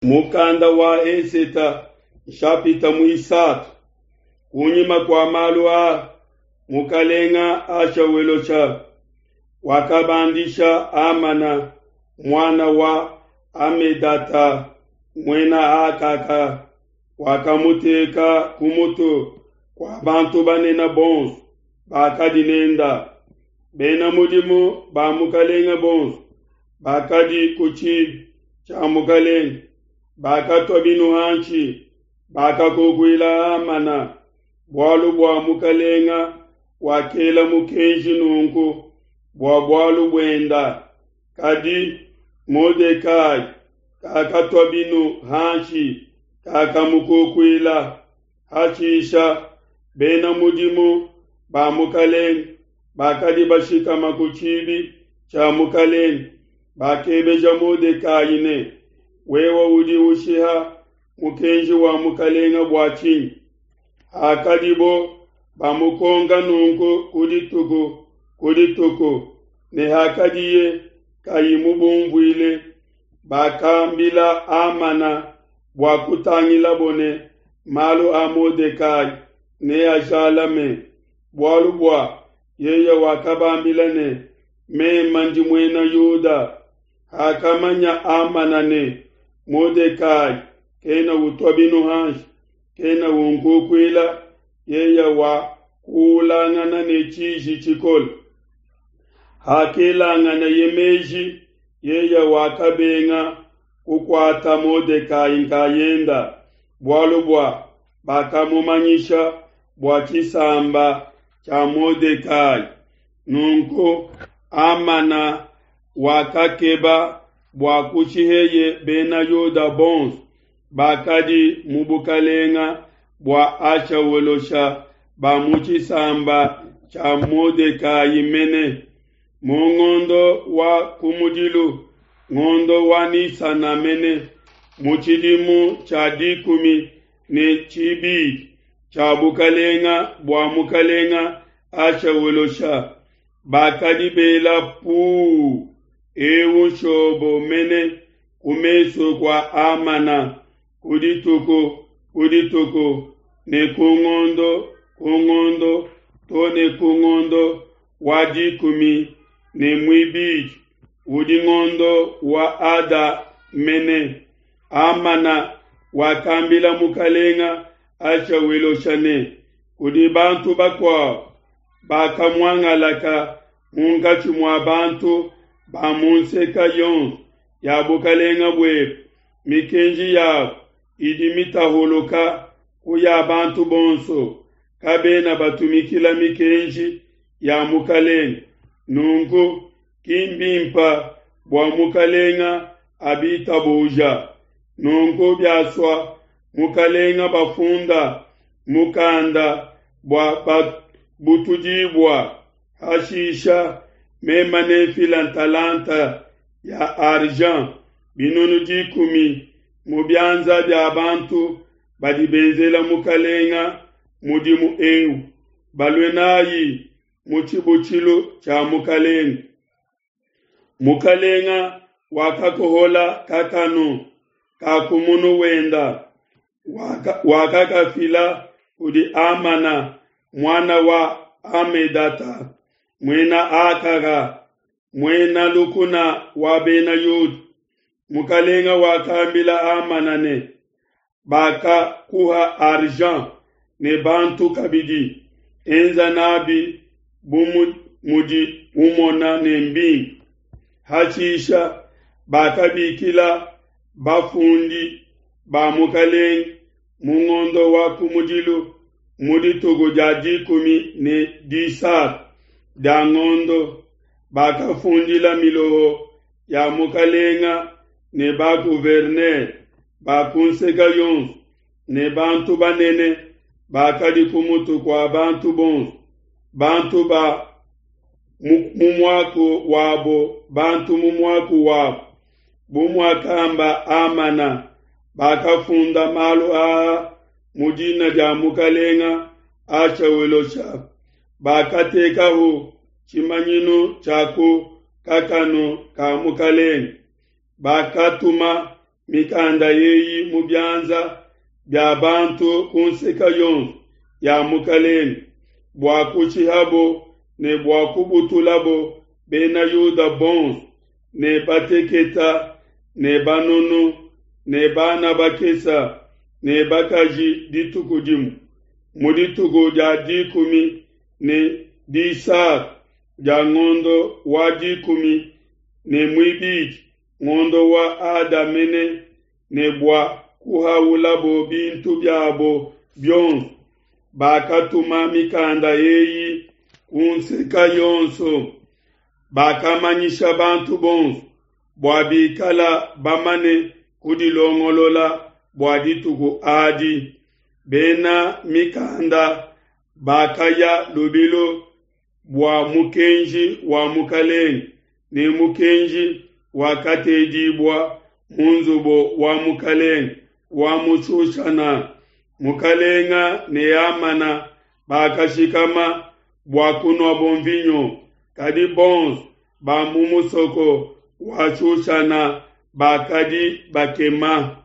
Mukanda wa Eseta nshapita muisatu. Kunyima kua malu aa, mukalenga Ashawelosha wakabandisha Amana muana wa Amedata muena Akaka, wakamuteka ku mutu kua bantu banene bonso bakadi nenda. Bena mudimu ba mukalenga bonso bakadi ku tshibi tshia mukalenge bakatua binu hanshi, bakakukuila Hamana, bualu bua mukalenga wakela mukenji nunku bua bualu buenda. Kadi Modekai kakatua binu hanshi, kakamukukuila. Hashisha bena mudimu ba mukalenge bakadi bashikama ku tshibi tshia mukalenge bakebeja Modekai ne, Wewe udi ushiha mukenji wa mukalenge bua tshinyi? Hakadibo bamukonka nunku ku dituku ku dituku, ne hakadiye kayi mubumvuile, bakambila Hamana bua kutangilabo ne malu a Modekai neajalame, bualu bua yeye wakabambila ne, Meme ndi Muena Yuda. Hakamanya Hamana ne, Modekai kena utua binu hanshi, kena unkukuila, yeye wakuulangana ne tshiji tshikole. Hakelanganaye meji, yeye wakabenga kukuata Modekai nkayenda, bualu bua bakamumanyisha bua tshisamba tshia Modekai. Nunku Hamana wakakeba bua kushiheye Bena Yuda bonso bakadi mu bukalenga bua Ashawelosha ba mu tshisamba tshia Modekai mene. Mu ngondo wa kumudilu, ngondo wa Nisana mene, mu tshidimu tshia dikumi ne tshibidi tshia bukalenga bua mukalenga Ashawelosha, bakadi bela puu eu nshobo mene ku mesu kua Hamana ku dituku ku dituku ne ku ngondo ku ngondo to ne ku ngondo wa dikumi ne muibidi udi ngondo wa Ada mene. Hamana wakambila mukalenga Ashawelosha ne, Kudi bantu bakuabo bakamuangalaka munkatshi mua bantu ba mu nseka yonso ya bukalenga buebe, mikenji yabo idi mitahuluka ku ya bantu bonso, kabena batumikila mikenji ya mukalenge. Nunku ki mbimpa bua mukalenga abitabuja. Nunku biasua mukalenga bafunda mukanda bua babutudibua, hashisha mema nenfila ntalanta ya argent 100,000 mu bianza bia bantu badi benzela mukalenga mudimu eu, balue nayi mu tshibutshilu tshia mukalenge. Mukalenga wakakohola kakanu ka ku munu wenda, wakakafila kudi Hamana muana wa Hamedata, muena Akaga, muena lukuna wa Bena Yuda. Mukalenga wakambila Hamana ne, Bakakuha argent ne bantu kabidi, enza nabi bu mudi umona ne mbimpe. Hashisha bakabikila bafundi ba mukalenge mu ngondo wa kumudilu mu dituku dia 13 dia ngondo, bakafundila miloho ya mukalenga ne ba gouverneur ba ku nseka yonso ne bantu banene bakadi ku mutu kua bantu bonso, bantu ba mu muaku wabo, bantu mu muaku wabo, bu muakamba Hamana, bakafunda malu aa mu dina dia mukalenga Ashawelosha, bakatekahu tshimanyinu tshia ku kakanu ka mukalenge. Bakatuma mikanda eyi mu bianza bia bantu ku nseke yonso ya mukelenge, bua kushihabo ne bua kubutulabo Bena Yuda bonso, ne bateketa ne banunu ne bana bakese ne bakaji dituku dimue, mu dituku dia dikumi ne disatu dia ngondo wa dikumi ne muibidi, ngondo wa Ada mene, ne bua kuhaulabo bintu biabo bionso. Bakatuma mikanda eyi ku nseke yonso, bakamanyisha bantu bonso bua bikala bamane kudilongolola bua dituku adi. Bena mikanda bakaya lubilu bua mukenji wa mukelenge, ne mukenji wakatedibua mu nzubu wa mukelenge wa mu Shushana. Mukelenge ne Hamana bakashikama bua kunuabo nvinyo, kadi bonso ba mu musoko wa Shushana bakadi bakema.